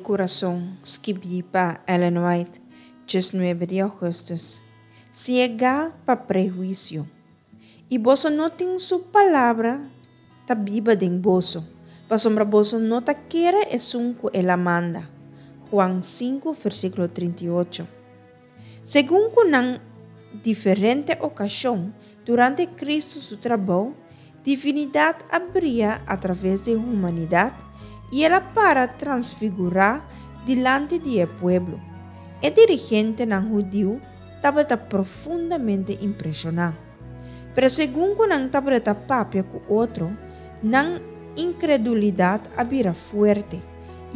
Kurason, skibí pa Ellen White, 19 di ougùstùs. Siegá pa prehuisio. I boso no tin su palabra ta biba den boso, pasobra boso no ta kere esun ku el a manda. Juan 5, versíkulo 38. Segun ku nan diferente okashon durante Kristu su trabou, divinidat a bria atraves di humanidat i el a para transfigurá dilanti di e pueblo. E dirigentenan hudiu tabata profundamente impreshoná. Pero segun ku nan tabata papia ku otro, nan inkredulidat a bira fuerte,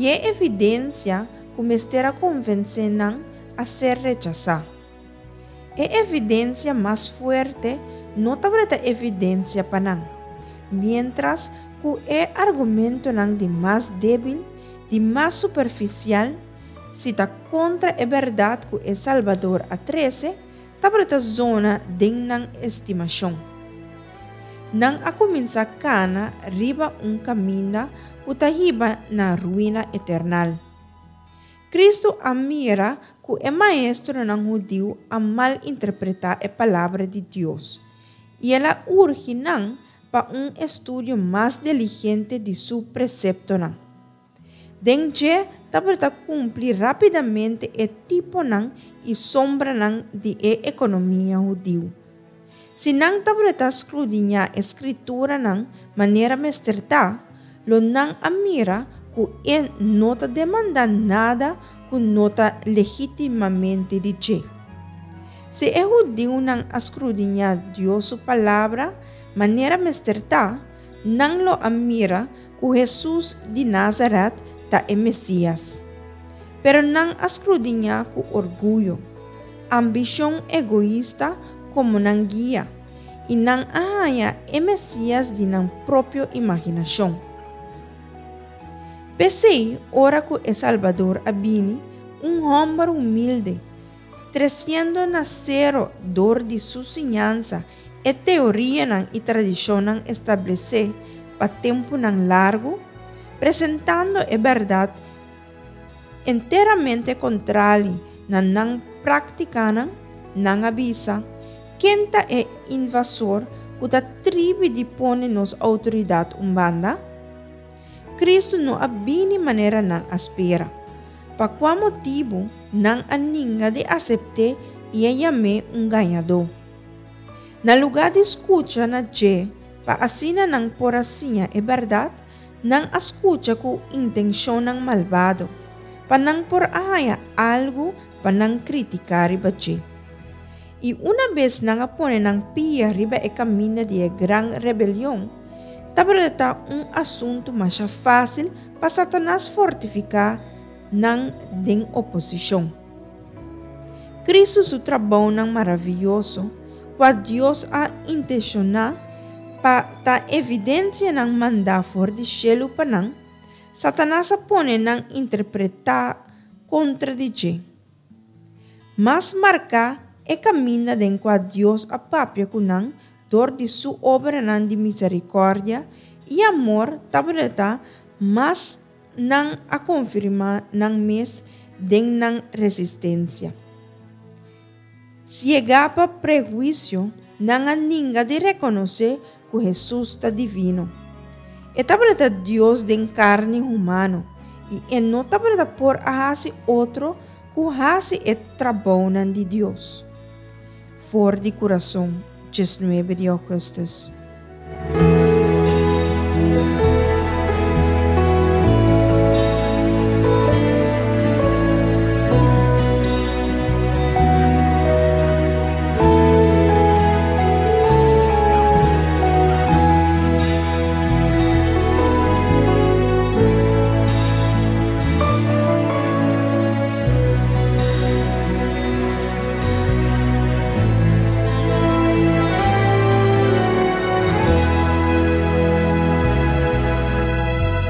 i e evidensia ku mester a konvensé nan a ser rechasá. E evidensia mas fuerte no tabata evidensia pa nan, miéntras ku e argumentonan di mas débil, di mas superfisial, si ta kontra e bèrdat ku e Salbador a trese, tabata zona den nan estimashon. Nan a kuminsá kana riba un kaminda ku ta hiba na ruina eternal. Kristu a mira ku e maestronan hudiu a malinterpretá e Palabra di Dios, i el a urgi nan pa un estudio mas diligente di su preseptonan. Den dje tabata kumpli rápidamente e tiponan i sombranan di e ekonomia hudiu. Si nan tabata skrudiñá e Skrituranan manera mester ta, lo nan a mira ku e no ta demandá nada ku no ta legítimamente di dje. Si e hudiunan a skrudiñá Dios su Palabra manera mester ta, nan lo a mira ku Hesus di Nazaret ta e Mesías. Pero nan a skrudiñá ku orguyo, ambishon egoista komo nan guia, i nan a haña e Mesías di nan propio imaginashon. P'esei, ora ku e Salbador a bini, un hòmber humilde, tresiendo na sero dor di su siñansa e teorianan i tradishonnan establesé pa tempunan largu, presentando e bèrdat Enteramente kontrali na nan práktikanan, nan a bisa, Ken ta e invasor ku ta tribi di pone nos outoridat un banda? Kristu no a bini manera nan a spera. Pa kua motibu nan a ninga di asept'é i a yam'é un gañadó? Na lugá di skucha na dje pa asina nan por a siña e bèrdat, Nan a skucha ku intenshonnan malbado, pa nan por a haña algu pa nan kritiká riba dje. I unabes nan a pone nan pia riba e kaminda di e gran rebelion, tabata ta un asuntu masha fásil pa Satanas fortifiká nan den oposishon. Kristu su trabounan maravioso, kua Dios a intenshoná pa ta evidensianan mandá for di shelu pa nan, Satanas a pone nan interpretá kontra di dje. Mas marká e kaminda den kua Dios a papia ku nan dor di su obranan di miserikòrdia i amor tabata mas Nan a konfirmá nan mes den nan resistensia. Siegá pa prehuisio, nan a ninga di rekonosé ku Hesus ta divino. E tabata Dios den karni humano i e no tabata por a hasi otro ku hasi e trabounan di Dios. For di kurason, 19 di ougùstùs.